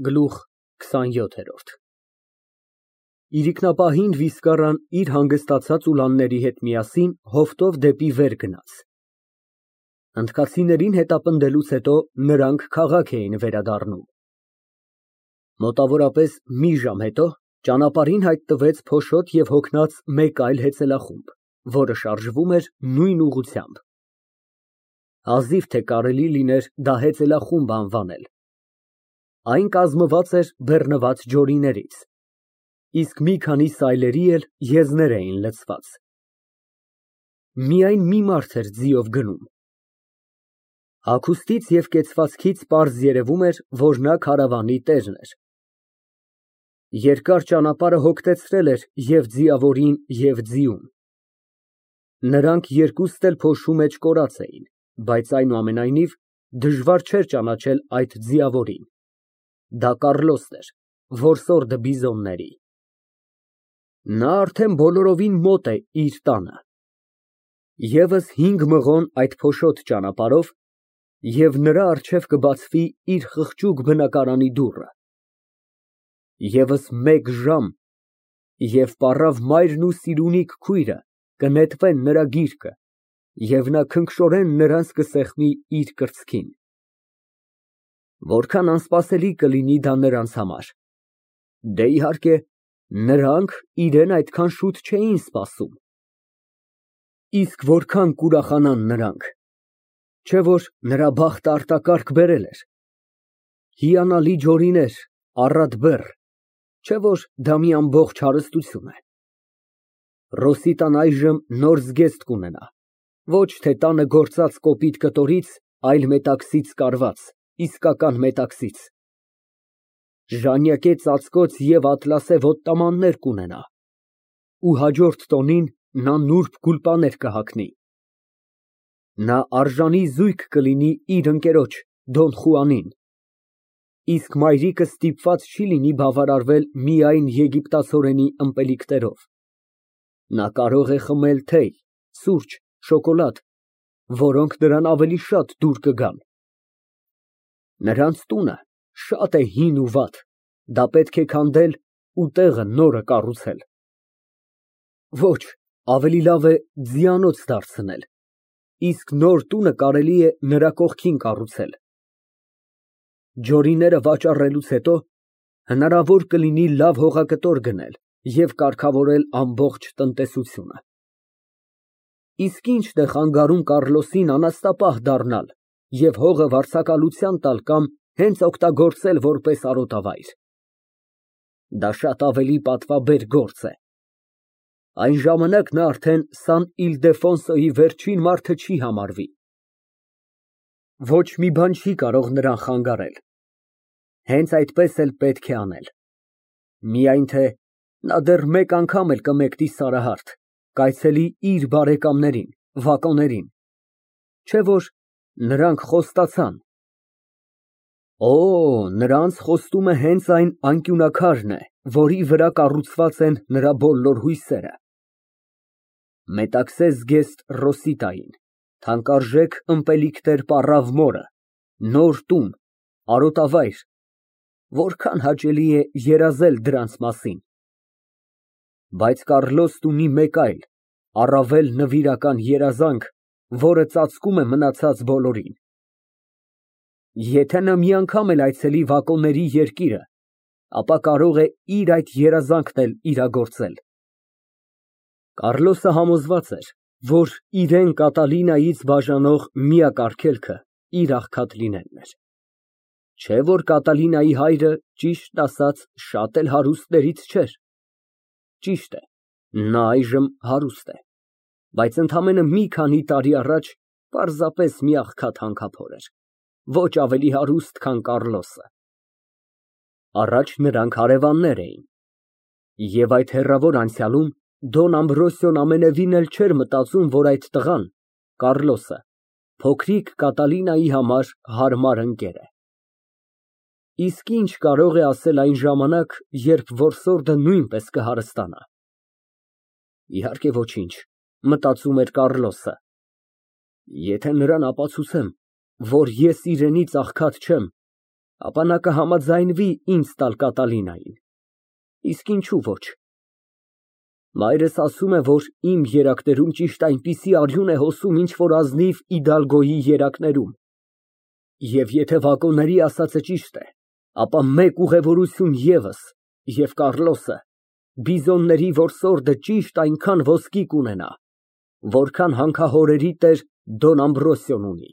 Գլուխ քսանյոթերորդ Իրիկնապահին Վիսկարան իր հանգստացած ուլանների հետ միասին հովտով դեպի վեր գնաց։ Հնդկացիներին հետապնդելուց հետո նրանք քաղաք էին վերադառնում։ Մոտավորապես մի ժամ հետո ճանապարհին հայտնվեց փոշոտ և հոգնած մեկ այլ հեծելախումբ, որը շարժվում էր նույն ուղղությամբ։ Հազիվ թե կարելի լիներ դա հեծելախումբ անվանել։ Այն կազմված էր բեռնված ջորիներից, իսկ մի քանի սայլերի էլ եզներ էին լցված։ Միայն մի մարդ էր ձիով գնում։ Հագուստից և կեցվածքից պարզ երևում էր, որ նա քարավանի տերն էր։ Երկար ճանապարհը հոգտեցրել էր և ձիավորին, և ձիուն։ Նրանք երկուստ էլ փոշու մեջ կորած էին, բայց այնուամենայնիվ դժվար չէր ճանաչել այդ ձիավորին։ Դա Կառլոսն էր, որսորդը բիզոնների։ Նա արդեն բոլորովին մոտ է իր տանը։ Եվս 5 մղոն այդ փոշոտ ճանապարհով, և նրա առջև կբացվի իր խղճուկ բնակարանի դուռը։ Եվս 1 ժամ, և պառավ մայրն ու Սիրունիք քույրը կնետվեն նրա գիրկը, և նա քնքշորեն նրանց կսեղմի իր կրծքին։ Որքան անսպասելի կլինի դա նրանց համար։ Դե, իհարկե, նրանք իրան այդքան շուտ չէին սպասում։ Իսկ որքան կուրախանան նրանք, չէ՞ որ նրա բախտը արտակարգ բերել էր։ Հիանալի ջորիներ, առատ բեռ, չէ՞ որ դա մի ամբողջ հարստություն է։ Ռոսիտան այժմ նոր զգեստ կունենա, ոչ թե տանը գործած կոպիտ կտորից, այլ մետաքսից կարված, իսկական մետաքսից։ Ժանյակե ծածկոց և ատլասե ոտնամաններ կունենա, ու հաջորդ տոնին նա նուրբ գուլպաներ կհագնի։ Նա արժանի զույգ կլինի իր ընկերոջ Դոն Խուանին, իսկ մայրիկը ստիպված չի լինի բավարարվել միայն եգիպտացորենի ըմպելիքներով։ Նա կարող է խմել թեյ, սուրճ, շոկոլադ, որոնք նրան ավելի շատ դուր կգան։ Նրանց տունը շատ է հին ու վատ, դա պետք է քանդել ու տեղը նորը կառուցել։ Ոչ, ավելի լավ է ձիանոց դարձնել, իսկ նոր տունը կարելի է նրա կողքին կառուցել։ Ջորիները վաճառելուց հետո հնարավոր կլինի լավ հողակտոր գնել և կարգավորել ամբողջ տնտեսությունը։ Իսկ ի՞նչն է խանգարում Կառլոսին անաստապահ դառնալ և հողը վարձակալության տալ կամ հենց օգտագործել որպես արոտավայր։ Դա շատ ավելի պատվաբեր գործ է։ Այն ժամանակ նա արդեն Սան Իլդեֆոնսոյի վերջին մարդը չի համարվի։ Ոչ մի բան չի կարող նրան խանգարել։ Հենց այդպես էլ պետք է անել։ Միայն թե նա դեռ մեկ անգամ էլ կմեկնի Սարահարթ, կայցելի իր բարեկամներին, վակոներին, չէ՞ որ նրանք խոստացան։ Օ, նրանց խոստումը հենց այն անկյունաքարն է, որի վրա կառուցված են նրա բոլոր հույսերը։ Մետաքսե զգեստ Ռոսիտային, թանկարժեք ըմպելիքներ պառավ մորը, նոր տուն, արոտավայր, որքան հաճելի է երազել դրանց մասին։ Բայց Կառլոսն ունի մեկ այլ, առավել նվիրական երազանք, որը ծածկում է մնացած բոլորին։ Եթե նա մի անգամ էլ այցելի վակոների երկիրը, ապա կարող է իր այդ երազանքն էլ իրագործել։ Կառլոսը համոզված էր, որ իրան Կատալինայից բաժանող միակ արգելքը իր աղքատ լինելն էր։ Չէ՞ որ Կատալինայի հայրը, ճիշտն ասած, շատ էլ հարուստներից չէր։ Ճիշտ է, նա այժմ հարուստ է, բայց ընդամենը մի քանի տարի առաջ պարզապես մի աղքատ հանքափոր էր, ոչ ավելի հարուստ, քան Կառլոսը։ Առաջ նրանք հարևաններ էին, և այդ հեռավոր անցյալում Դոն Ամբրոսիոն ամենևին էլ չէր մտածում, որ այդ տղան, Կառլոսը, փոքրիկ Կատալինայի համար հարմար ընկեր է։ Իսկ ինչ կարող է ասել այն ժամանակ, երբ որսորդը նույնպես կհարստանա։ Իհարկե ոչինչ, մտածում էր Կառլոսը։ Եթե նրան ապացուցեմ, որ ես իրենից աղքատ չեմ, ապա նա կհամաձայնվի ինձ տալ Կատալինային, իսկ ինչու ոչ։ Մայրս ասում է, որ իմ երակներում ճիշտ այնպիսի արյուն է հոսում, ինչ որ ազնիվ Իդալգոյի երակներում, և եթե վագոնների ասածը ճիշտ է, ապա մեկ ուղևորություն ևս, և Կառլոսը բիզոնների որսորդը ճիշտ այնքան ոսկի կունենա, որքան հանքահորերի տեր Դոն Ամբրոսիոն ունի։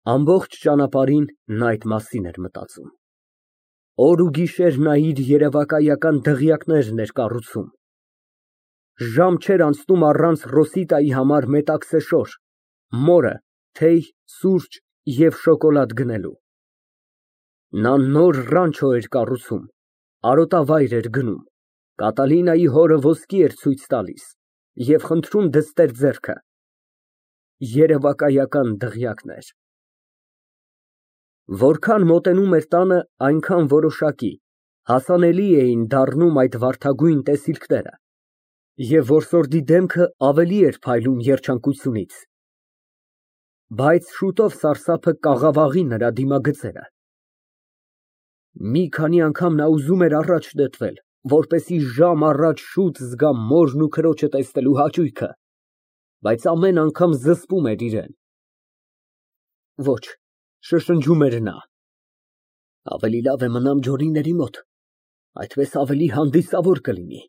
Ամբողջ ճանապարհին նա այդ մասին էր մտածում։ Օր ու գիշեր նա իր երևակայական դղյակներն էր կառուցում։ Ժամ չէր անցնում առանց Ռոսիտայի համար մետաքսեշոր, մորը թեյ, սուրճ և շոկոլադ գնելու։ Նա նոր ռանչո էր կառուցում, արոտավայր էր գնում, Կատալինայի հորը ոսկի էր ցույց տալիս և խնդրում դստեր ձեռքը։ Երևակայական դղյակներ։ Որքան մոտենում էր տանը, այնքան որոշակի, հասանելի էին դառնում այդ վարդագույն տեսիլքները, և որսորդի դեմքը ավելի էր փայլում երջանկությունից։ Բայց շուտով սարսափը կաղավաղի նրա դիմագծերը։ Մի քանի անգամ նա ուզում էր առաջ նետվել, որպեսզի ժամ առաջ շուտ զգա մորն ու քրոջը տեսնելու հաճույքը, բայց ամեն անգամ զսպում էր իրեն։ Ոչ, շշնջում էր նա, ավելի լավ է մնամ ջորիների մոտ, այդպես ավելի հանդիսավոր կլինի։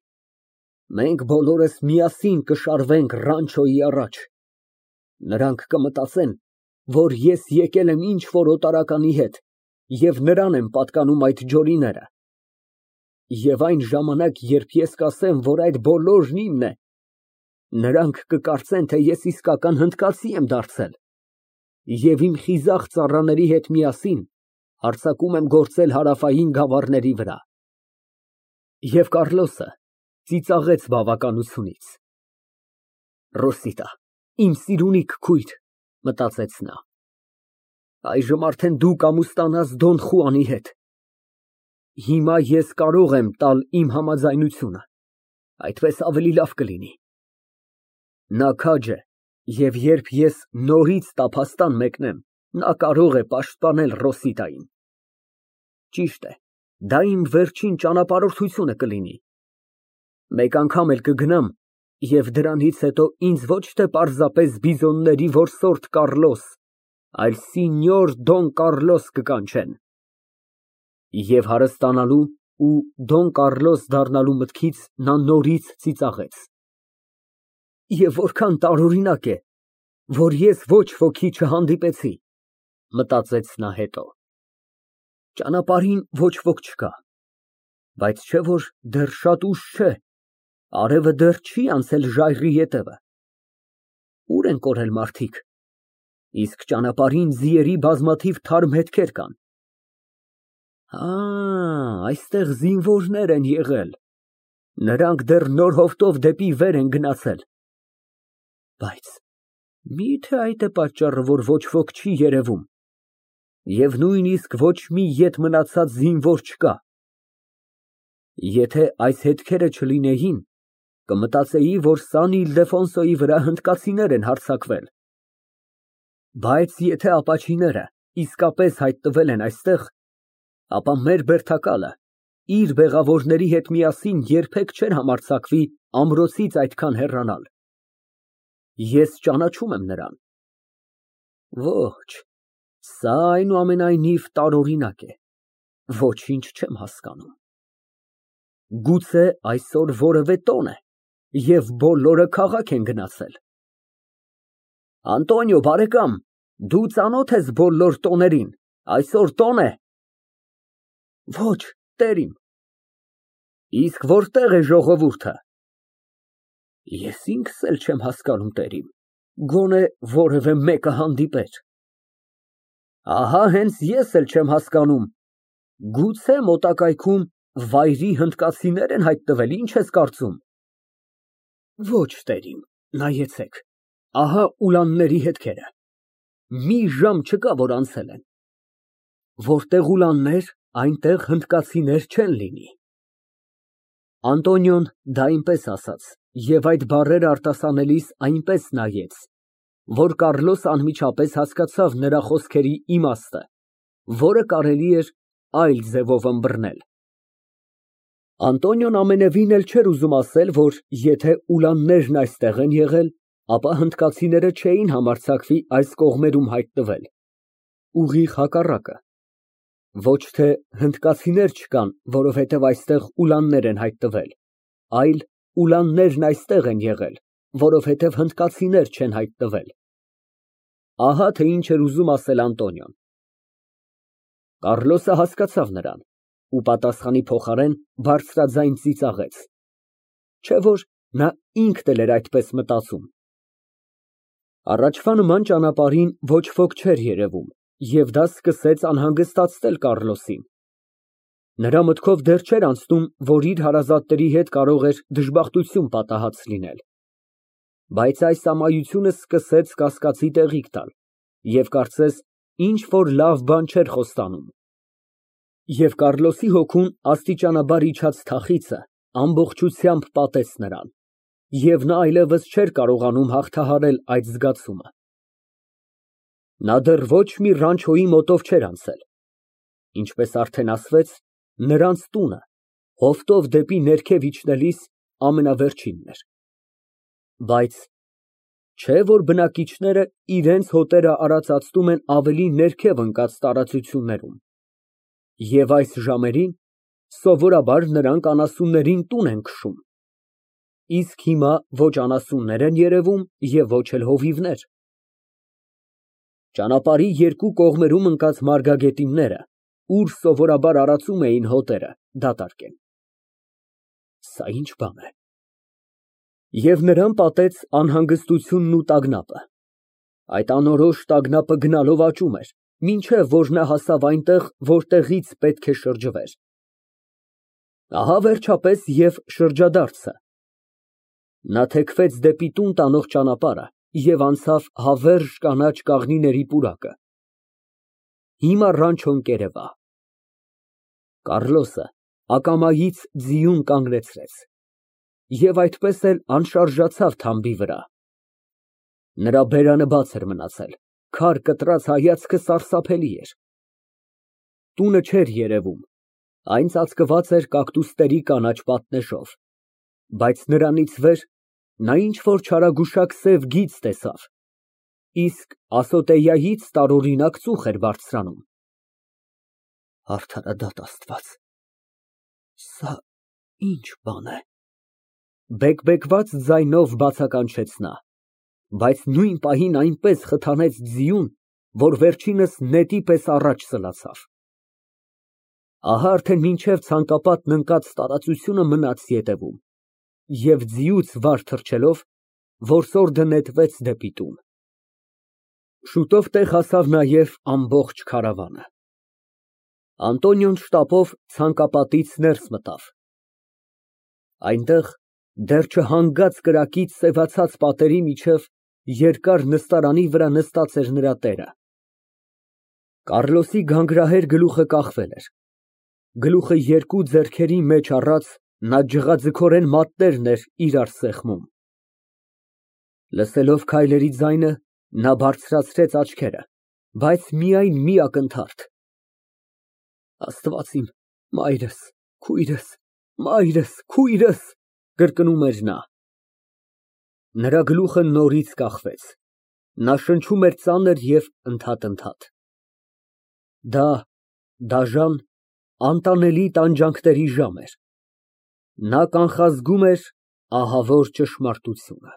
Մենք բոլորս միասին կշարվենք Ռանչոյի առաջ։ Նրանք կմտածեն, որ ես եկել եմ ինչ֊որ օտարականի հետ և նրան են պատկանում այդ ջորիները։ Եվ այն ժամանակ, երբ ես կասեմ, որ այդ բոլորն իմն է, նրանք կկարծեն, թե ես իսկական հնդկացի եմ դարձել և իմ խիզախ ծառաների հետ միասին հարձակում եմ գործել հարավային գավառների վրա։ Եվ Կառլոսը ծիծաղեց բավականությունից։ Ռոսիտա, իմ սիրունիկ քույր, մտածեց նա, այժմ արդեն դու կամուստանաս Դոն Խուանի հետ։ Հիմա ես կարող եմ տալ իմ համաձայնությունը, այդպես ավելի լավ կլինի։ Նա քաջ է, և երբ ես նորից տափաստան մեկնեմ, նա կարող է պաշտպանել Ռոսիտային։ Ճիշտ է, դա իմ վերջին ճանապարհորդությունը կլինի։ Մեկ անգամ էլ կգնամ, և դրանից հետո ինձ ոչ թե պարզապես բիզոնների որսորդ Կառլոս, այլ Սինյոր Դոն Կառլոս կկանչեն։ Եվ հարստանալու ու Դոն Կառլոս դառնալու մտքից նա նորից ծիծաղեց։ Եվ որքան տարօրինակ է, որ ես ոչ ոքի չհանդիպեցի, մտածեց նա հետո։ Ճանապարհին ոչ ոք չկա, բայց չէ որ դեռ շատ ուշ չէ, արևը դեռ չի անցել ժայռի ետևը։ Ուր են կորել մարդիկ, իսկ ճանապարհին ձիերի բազմաթիվ թարմ հետքեր կան։ Այստեղ զինվորներ են եղել, նրանք դեռ նոր հովտով դեպի վեր են գնացել։ Բայց մի՞թե այդ է պատճառը, որ ոչ ոք չի երևում, և նույնիսկ ոչ մի ետ մնացած զինվոր չկա։ Եթե այս հետքերը չլինեին, կմտածեի, որ Սան Իլդեֆոնսոյի վրա հնդկացիներ են հարձակվել։ Բայց եթե ապաչիները իսկապես հայտնվել են այստեղ, ապա մեր բերդակալը իր բեղավորների հետ միասին երբեք չէր համարձակվի ամրոցից այդքան հեռանալ։ Ես ճանաչում եմ նրան։ Ոչ, սա այնուամենայնիվ տարօրինակ է, ոչինչ չեմ հասկանում։ Գուցե այսօր որևէ տոն է, և բոլորը քաղաք են գնացել։ Անտոնիո բարեկամ, դու ծանոթ ես բոլոր տոներին, այսօր տոն է։ Ոչ, տերիմ։ Իսկ որտե՞ղ է ժողովուրդը։ Ես ինքս էլ չեմ հասկանում, տերիմ, գոնե որևէ մեկը հանդիպեր։ Ահա հենց ես էլ չեմ հասկանում, գուցե մոտակայքում վայրի հնդկացիներ են հայտնվել, ինչ ես կարծում։ Ոչ, տերիմ, նայեցեք, ահա ուլանների հետքերը, մի ժամ չկա, որ անցել են։ Որտեղ ուլաններ, այնտեղ հնդկացիներ չեն լինի։ Անտոնիոն դա այնպես ասաց, և այդ բառերը արտասանելիս այնպես նայեց, որ Կառլոսը անմիջապես հասկացավ նրա խոսքերի իմաստը որը կարելի էր այլ ձևով ըմբռնել։ Անտոնիոն ամենևին էլ չէր ուզում ասել, որ եթե ուլաններն այստեղ են եղել, ապա հնդկացիները չէին համարձակվի այս կողմերում հայտնվել, ուղիղ հակառակը, ոչ թե հնդկացիներ չկան, որովհետև այստեղ ուլաններ են հայտնվել, այլ ուլաններն այստեղ են եղել, որովհետև հնդկացիներ չեն հայտնվել։ Ահա թե ինչ էր ուզում ասել Անտոնիոն։ Կառլոսը հասկացավ նրան ու պատասխանի փոխարեն բարձրաձայն ծիծաղեց, չէ՞ որ նա ինքն էլ էր այդպես մտածում։ Առաջվա նման ճանապարհին ոչ ոք չէր երևում, և դա սկսեց անհանգստացնել Կառլոսին։ Նրա մտքով դեռ չէր անցնում, որ իր հարազատների հետ կարող էր դժբախտություն պատահած լինել, բայց այս ամայությունը սկսեց կասկածի տեղիք տալ և կարծես ինչ֊որ լավ բան չէր խոստանում։ Եվ Կառլոսի հոգուն աստիճանաբար իջած թախիծը ամբողջությամբ պատեց նրան, և նա այլևս չէր կարողանում հաղթահարել այդ զգացումը։ Նա դեռ ոչ մի ռանչոյի մոտով չէր անցել, ինչպես արդեն ասվեց, նրանց տունը հովտով դեպի ներքև իջնելիս ամենավերջինն էր։ Բայց չէ՞ որ բնակիչները իրենց հոտերը արածացնում են ավելի ներքև ընկած տարածություններում, և այս ժամերին սովորաբար նրանք անասուններին տուն են քշում, իսկ հիմա ոչ անասուններ են երևում և ոչ էլ հովիվներ։ Ճանապարհի երկու կողմերում ընկած մարգագետինները, ուր սովորաբար արածում էին հոտերը, դատարկ են։ Սա ի՞նչ բան է։ Եվ նրան պատեց անհանգստությունն ու տագնապը։ Այդ անորոշ տագնապը գնալով աճում էր, մինչև որ նա հասավ այնտեղ, որտեղից պետք է շրջվեր։ Ահա վերջապես և շրջադարձը։ Նա թեքվեց դեպի տուն տանող ճանապարհը և անցավ հավերժ կանաչ կաղնիների պուրակը։ Հիմա ռանչոն կերևա։ Կառլոսը ակամայից ձիուն կանգնեցրեց և այդպես էլ անշարժացավ թամբի վրա։ Նրա բերանը բաց էր մնացել, քար կտրած հայացքը սարսափելի էր։ Տունը չէր երևում, այն ծածկված էր կակտուսների կանաչ պատնեշով, բայց նրանից վեր նա ինչ֊որ չարագուշակ սև գիծ տեսավ, իսկ ասոտեյայից տարօրինակ ծուխ էր բարձրանում։ Արդարադատ Աստված, սա ի՞նչ բան է։ Բեկբեկված ձայնով բացականչեց նա, բայց նույն պահին այնպես խթանեց ձիուն, որ վերջինս նետի պես առաջ սլացավ։ Ահա արդեն մինչև ցանկապատն ընկած տարածությունը մնաց ետևում, և ձիուց վար թռչելով որսորդը նետվեց դեպի տուն։ Շուտով տեղ հասավ նաև ամբողջ քարավանը։ Անտոնիոն շտապով ցանկապատից ներս մտավ։ Այնտեղ դեռ չհանգած կրակից սևացած պատերի միջև երկար նստարանի վրա նստած էր նրա տերը։ Կառլոսի գանգրահեր գլուխը կախվել էր, գլուխը երկու ձեռքերի մեջ առած նա ջղաձգորեն մատներն էր իրար սեղմում։ Լսելով քայլերի ձայնը, նա բարձրացրեց աչքերը, բայց միայն մի ակնթարթ. Աստված իմ, մայրս, քույրս, մայրս, քույրս, կրկնում էր նա։ Նրա գլուխը նորից կախվեց, նա շնչում էր ծանր և ընդհատ։ Դա դաժան, անտանելի տանջանքների ժամ էր։ Նա կանխազգում էր ահավոր ճշմարտությունը։